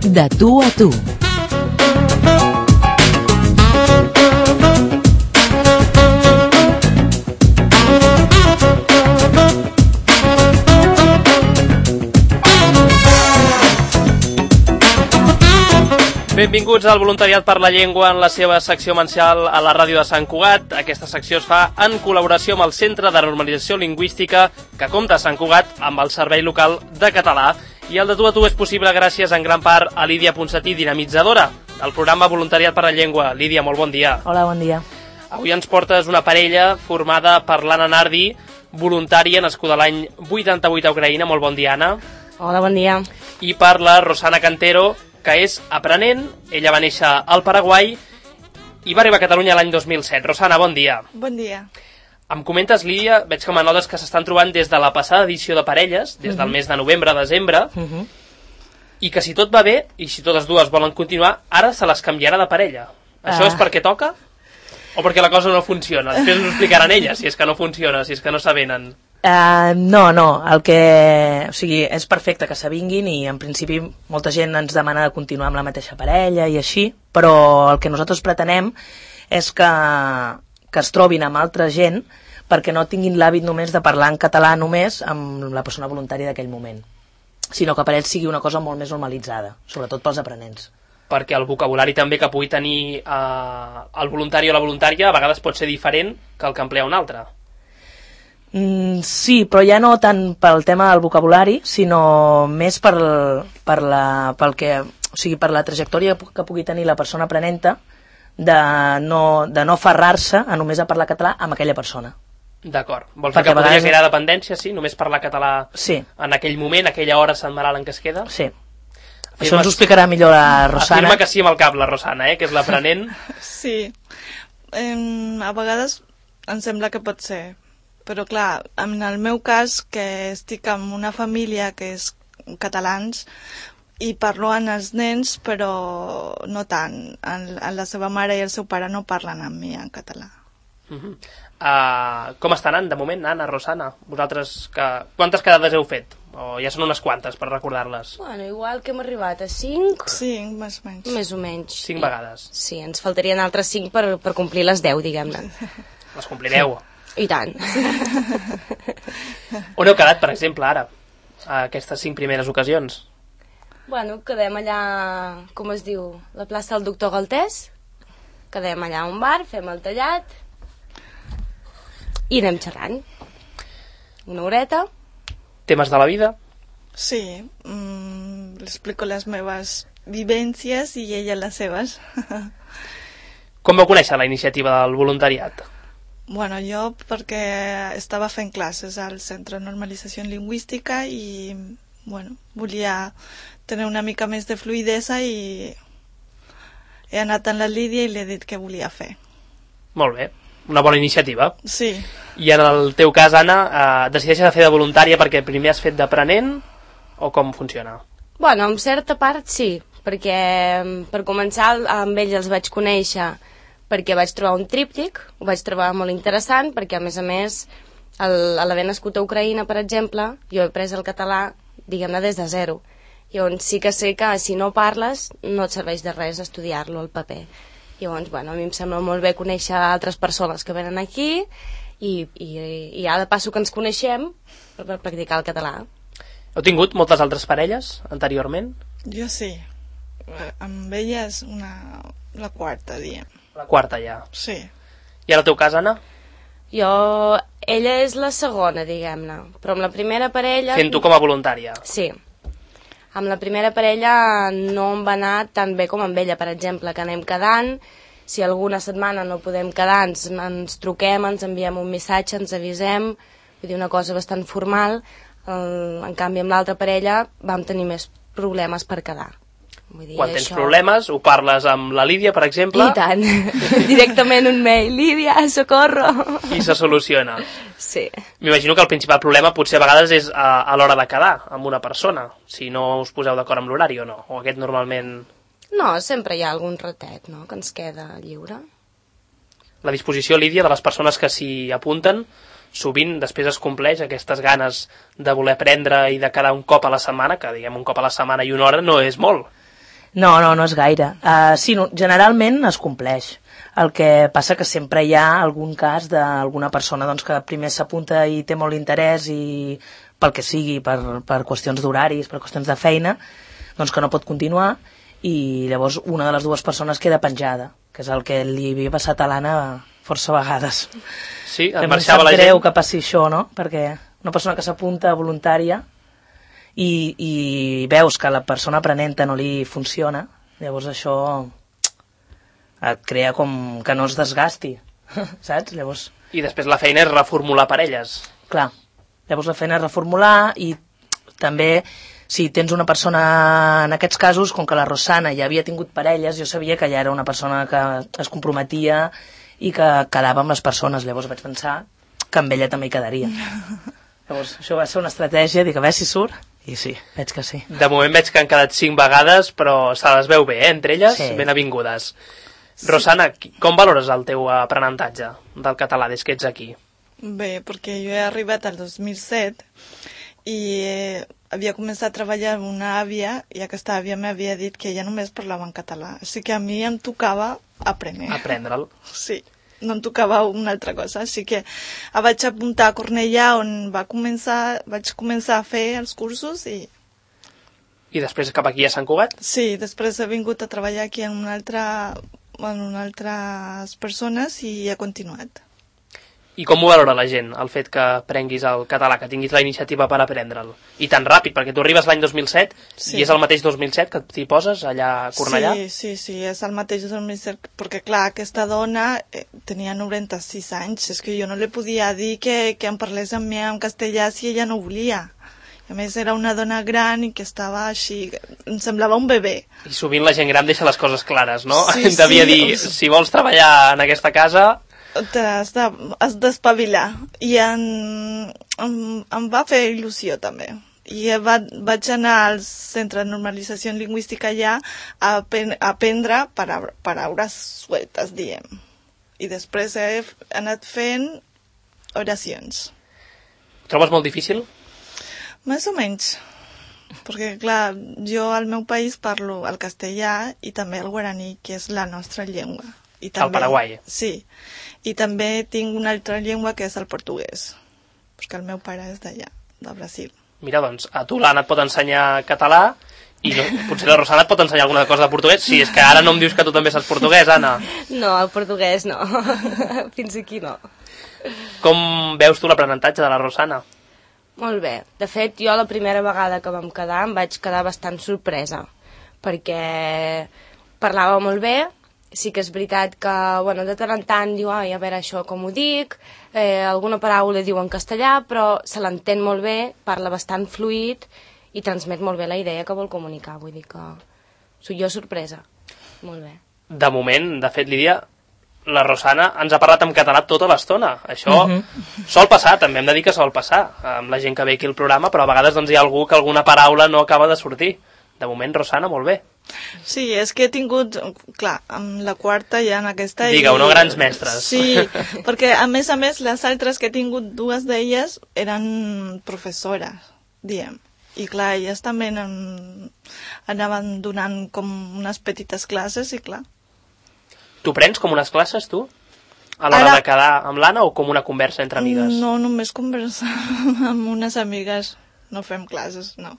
De tu a tu. Benvinguts al Voluntariat per la Llengua en la seva secció mensual a la ràdio de Sant Cugat. Aquesta secció es fa en col·laboració amb el Centre de Normalització Lingüística que compta a Sant Cugat amb el Servei Local de Català. I el de tu a tu és possible gràcies en gran part a Lídia Ponsatí, dinamitzadora del programa Voluntariat per la Llengua. Lídia, molt bon dia. Hola, bon dia. Avui ens portes una parella formada per l'Anna Nardi, voluntària, nascuda l'any 88 a Ucraïna. Molt bon dia, Anna. Hola, bon dia. I per la Rosana Cantero, que és aprenent. Ella va néixer al Paraguai i va arribar a Catalunya l'any 2007. Rosana, bon dia. Bon dia. Em comentes, Lídia, veig que m'anotes que s'estan trobant des de la passada edició de parelles, des del mes de novembre a desembre, i que si tot va bé, i si totes dues volen continuar, ara se les canviarà de parella. Això és perquè toca? O perquè la cosa no funciona? Després ens ho explicaran elles, si és que no funciona, si és que no s'avenen. No, o sigui, és perfecte que s'avinguin i en principi molta gent ens demana de continuar amb la mateixa parella i així, però el que nosaltres pretenem és que es trobin amb altra gent perquè no tinguin l'hàbit només de parlar en català només amb la persona voluntària d'aquell moment, sinó que per ells sigui una cosa molt més normalitzada, sobretot pels aprenents. Perquè el vocabulari també que pugui tenir el voluntari o la voluntària a vegades pot ser diferent que el que emplea un altre. Sí, però ja no tant pel tema del vocabulari, sinó més per la trajectòria que pugui tenir la persona aprenenta de no aferrar-se a només a parlar català amb aquella persona. D'acord. Vols dir que podria crear dependència, sí? Només parlar català en aquell moment, aquella hora setmanal en què es queda? Sí. Això ens ho explicarà millor la Rosana. Afirma que sí amb el cap, la Rosana, que és l'aprenent. Sí. A vegades em sembla que pot ser. Però clar, en el meu cas, que estic amb una família que és catalans i parlo amb els nens, però no tant. La seva mare i el seu pare no parlen amb mi en català. Com estan anant de moment, Anna, Rosana? Vosaltres, quantes quedades heu fet? O ja són unes quantes, per recordar-les? Bueno, igual que hem arribat a 5. 5, més o menys. Més o menys. 5 vegades. Sí, ens faltarien altres 5 per complir les 10, diguem-ne. Les complireu. I tant. On heu quedat, per exemple, ara? A aquestes 5 primeres ocasions? Bueno, quedem allà, com es diu, la plaça del Doctor Galtés. Quedem allà a un bar, fem el tallat i anem xerrant. Una horeta. Temes de la vida? Sí, li explico les meves vivències i ella les seves. Com vau conèixer la iniciativa del voluntariat? Bueno, jo perquè estava fent classes al Centre de Normalització Lingüística i volia tenir una mica més de fluïdesa i he anat amb la Lídia i li he dit què volia fer. Molt bé, una bona iniciativa. Sí. I en el teu cas, Anna, decideixes de fer de voluntària perquè primer has fet d'aprenent o com funciona? Bueno, en certa part sí, perquè per començar amb ells els vaig conèixer perquè vaig trobar un tríptic, ho vaig trobar molt interessant, perquè a més, a l'haver nascut a Ucraïna, per exemple, jo he après el català, diguem-ne, des de zero. Llavors sí que sé que si no parles no et serveix de res estudiar-lo al paper. Llavors, a mi em sembla molt bé conèixer altres persones que venen aquí i ja de passo que ens coneixem per practicar el català. Heu tingut moltes altres parelles anteriorment? Jo sí. Amb ella és la quarta, diem. La quarta ja. Sí. I en el teu cas, Anna? Ella és la segona, diguem-ne, però amb la primera parella... Fent tu com a voluntària. Sí. Amb la primera parella no em va anar tan bé com amb ella, per exemple, que anem quedant, si alguna setmana no podem quedar, ens truquem, ens enviem un missatge, ens avisem, vull dir, una cosa bastant formal. En canvi, amb l'altra parella vam tenir més problemes per quedar. Vull dir, quan tens problemes, ho parles amb la Lídia, per exemple? I tant, directament un mail, Lídia, socorro! I se soluciona. Sí. M'imagino que el principal problema potser a vegades és a l'hora de quedar amb una persona, si no us poseu d'acord amb l'horari o no, o aquest normalment... No, sempre hi ha algun ratet, no?, que ens queda lliure. La disposició, Lídia, de les persones que s'hi apunten, sovint després es compleix aquestes ganes de voler aprendre i de quedar un cop a la setmana, que diguem un cop a la setmana i una hora no és molt. No és gaire. Sí, generalment es compleix. El que passa que sempre hi ha algun cas d'alguna persona doncs, que primer s'apunta i té molt interès i pel que sigui, per qüestions d'horaris, per qüestions de feina, doncs que no pot continuar i llavors una de les dues persones queda penjada, que és el que li havia passat a l'Anna força vegades. Sí, et També marxava la gent. Em sap greu que passi això, no? Perquè una persona que s'apunta voluntària i veus que la persona aprenenta no li funciona, llavors això et crea com que no es desgasti, saps? Llavors... I després la feina és reformular parelles. Clar, llavors la feina és reformular i també si tens una persona, en aquests casos, com que la Rosana ja havia tingut parelles, jo sabia que ja era una persona que es comprometia i que quedava amb les persones, llavors vaig pensar que amb ella també hi quedaria. Llavors això va ser una estratègia, dic a veure si surt, i sí, veig que sí. De moment veig que han quedat 5 vegades, però se les veu bé, entre elles, sí. Ben avingudes. Sí. Rosana, com valores el teu aprenentatge del català des que ets aquí? Bé, perquè jo he arribat al 2007 i havia començat a treballar amb una àvia i aquesta àvia m'havia dit que ella només parlava en català. Així que a mi em tocava aprendre'l. Sí, no em tocava una altra cosa. Així que vaig apuntar a Cornellà on vaig començar a fer els cursos i... I després cap aquí a Sant Cugat? Sí, després he vingut a treballar aquí en altres persones i he continuat. I com ho valora la gent, el fet que aprenguis el català, que tinguis la iniciativa per aprendre'l? I tan ràpid, perquè tu arribes l'any 2007 sí. I és el mateix 2007 que t'hi poses allà a Cornellà? Sí, és el mateix 2007, perquè clar, aquesta dona tenia 96 anys, és que jo no li podia dir que em parlés amb mi en castellà si ella no volia. A més, era una dona gran i que estava així... Em semblava un bebè. I sovint la gent gran deixa les coses clares, no? Sí, devia dir, si vols treballar en aquesta casa... Has d'espavilar. I em va fer il·lusió, també. I vaig anar al Centre de Normalització Lingüística allà a aprendre paraules sueltes, diem. I després he anat fent oracions. Trobes molt difícil? Més o menys, perquè clar, jo al meu país parlo el castellà i també el guaraní, que és la nostra llengua. I també, el Paraguai. Sí, i també tinc una altra llengua que és el portuguès, perquè el meu pare és d'allà, de Brasil. Mira, doncs, a tu l'Anna et pot ensenyar català i potser la Rosana et pot ensenyar alguna cosa de portuguès. Sí, és que ara no em dius que tu també saps portuguès, Anna. No, el portuguès no, fins aquí no. Com veus tu l'aprenentatge de la Rosana? Molt bé. De fet, jo la primera vegada que vam quedar em vaig quedar bastant sorpresa, perquè parlava molt bé. Sí que és veritat que, bueno, de tant en tant diu, a veure això com ho dic, alguna paraula diu en castellà, però se l'entén molt bé, parla bastant fluid i transmet molt bé la idea que vol comunicar. Vull dir que soc jo sorpresa. Molt bé. De moment, de fet, Lídia, la Rosana ens ha parlat en català tota l'estona. Això sol passar, també hem de dir que sol passar amb la gent que ve aquí al programa, però a vegades doncs, hi ha algú que alguna paraula no acaba de sortir. De moment, Rosana, molt bé. Sí, és que he tingut, clar, amb la quarta ja en aquesta... Digue-ho, no grans mestres. Sí, perquè a més, les altres que he tingut, dues d'elles eren professores, diem. I clar, elles també anaven donant com unes petites classes i clar. Tu prens com unes classes, tu? A l'hora de quedar amb l'Anna o com una conversa entre amigues? No, només conversa amb unes amigues. No fem classes, no.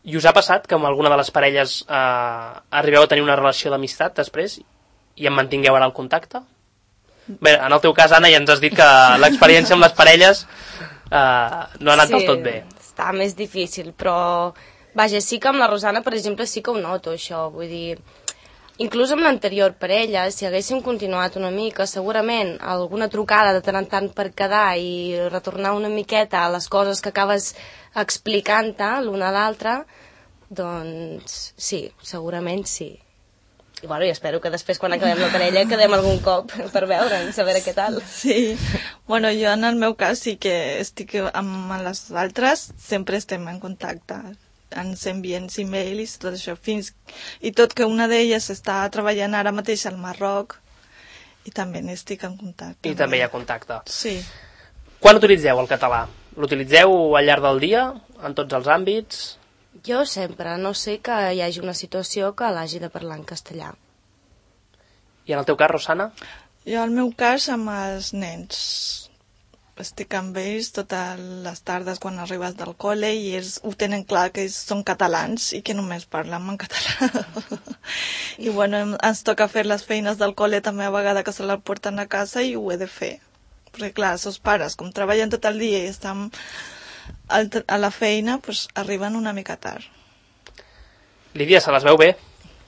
I us ha passat que amb alguna de les parelles arribeu a tenir una relació d'amistat després i en mantingueu ara el contacte? Bé, en el teu cas, Anna, ja ens has dit que l'experiència amb les parelles no ha anat del tot bé. Sí, està més difícil, però vaja, sí que amb la Rosana, per exemple, sí que ho noto, això. Vull dir, inclús amb l'anterior parella, si haguéssim continuat una mica, segurament alguna trucada de tant en tant per quedar i retornar una miqueta a les coses que acabes explicant-te l'una a l'altra, doncs sí, segurament sí. I bueno, i espero que després quan acabem la parella quedem algun cop per veure'ns, a veure què tal. Sí, bueno, jo en el meu cas sí que estic amb les altres, sempre estem en contacte. Ens envien e-mails i tot això, i tot que una d'elles està treballant ara mateix al Marroc i també n'estic en contacte. I també hi ha contacte. Sí. Quan utilitzeu el català? L'utilitzeu al llarg del dia, en tots els àmbits? Jo sempre, no sé que hi hagi una situació que l'hagi de parlar en castellà. I en el teu cas, Rosana? Jo, al meu cas, amb els nens. Estic amb ells totes les tardes quan arribes del col·le i ells ho tenen clar que ells són catalans i que només parlem en català. I bueno, ens toca fer les feines del col·le també a vegades que se les porten a casa i ho he de fer. Perquè clar, els seus pares, com treballen tot el dia i estan a la feina, doncs arriben una mica tard. Lídia, se les veu bé?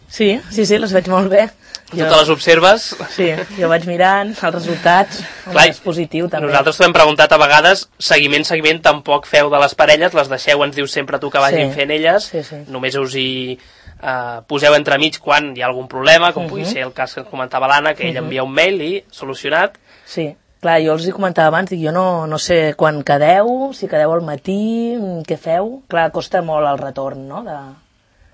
Sí, les veig molt bé. Tu te les observes? Sí, jo vaig mirant els resultats, Clar, és positiu també. Nosaltres t'ho hem preguntat a vegades, seguiment tampoc feu de les parelles, les deixeu, ens dius sempre tu que vagin fent elles, només us hi poseu entremig quan hi ha algun problema, com pugui ser el cas que comentava l'Anna, que ella envia un mail i solucionat. Sí, clar, jo els hi comentava abans, dic, jo no sé quan quedeu, si quedeu al matí, què feu? Clar, costa molt el retorn, no?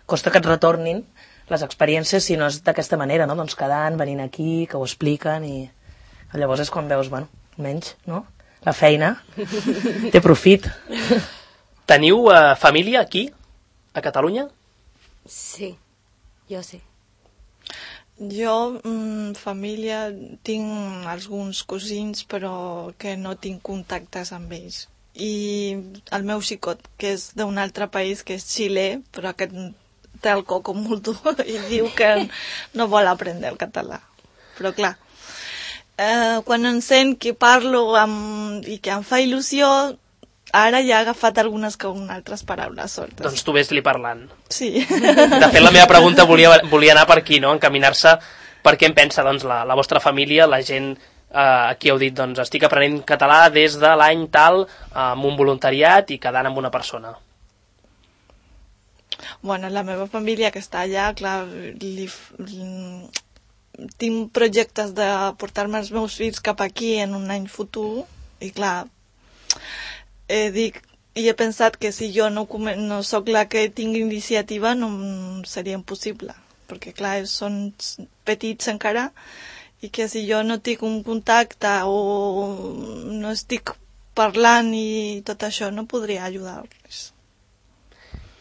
Costa que et retornin les experiències si no és d'aquesta manera, no? Doncs quedant, venint aquí, que ho expliquen i llavors és quan veus, bueno, menys, no? La feina té profit. Teniu família aquí, a Catalunya? Sí, jo sí. Jo, família, tinc alguns cosins, però que no tinc contactes amb ells. I el meu xicot, que és d'un altre país, que és Xile, però aquest té el coco molt dur i diu que no vol aprendre el català. Però clar, quan em sent que parlo i que em fa il·lusió, ara ja ha agafat algunes altres paraules soltes. Doncs tu ves-li parlant. Sí. De fet, la meva pregunta volia anar per aquí, no? Encaminar-se per què en pensa doncs, la vostra família, la gent aquí heu dit, doncs estic aprenent català des de l'any tal, amb un voluntariat i quedant amb una persona. Bueno, la meva família que està allà, clar, tinc projectes de portar-me els meus fills cap aquí en un any futur i clar, he pensat que si jo no sóc la que tingui iniciativa no seria impossible, perquè clar, són petits encara i que si jo no tinc un contacte o no estic parlant i tot això no podria ajudar-los.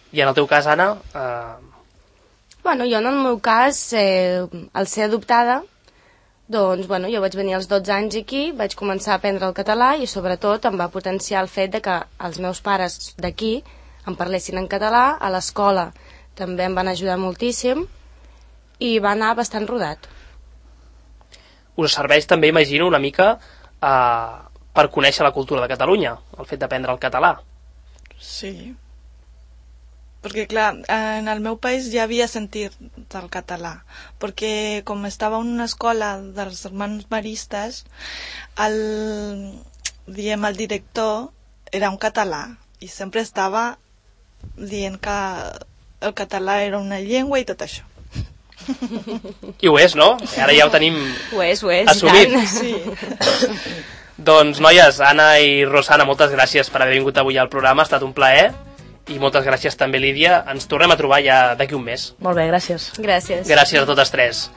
I en el teu cas, Anna? Bueno, jo en el meu cas, al ser adoptada, doncs, bueno, jo vaig venir als 12 anys aquí, vaig començar a aprendre el català i sobretot em va potenciar el fet de que els meus pares d'aquí em parlessin en català, a l'escola també em van ajudar moltíssim i va anar bastant rodat. Us serveix també, imagino, una mica per conèixer la cultura de Catalunya, el fet d'aprendre el català. Sí. Perquè, clar, en el meu país ja havia sentit el català, perquè com estava en una escola dels germans maristes, el director era un català i sempre estava dient que el català era una llengua i tot això. I ho és, no? Ara ja ho tenim ho és, assumit. Sí. Doncs, noies, Anna i Rosana, moltes gràcies per haver vingut avui al programa, ha estat un plaer. I moltes gràcies també, Lídia. Ens tornem a trobar ja d'aquí un mes. Molt bé, gràcies. Gràcies. Gràcies a totes tres.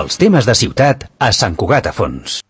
Els temes de ciutat a Sant Cugat a Fons.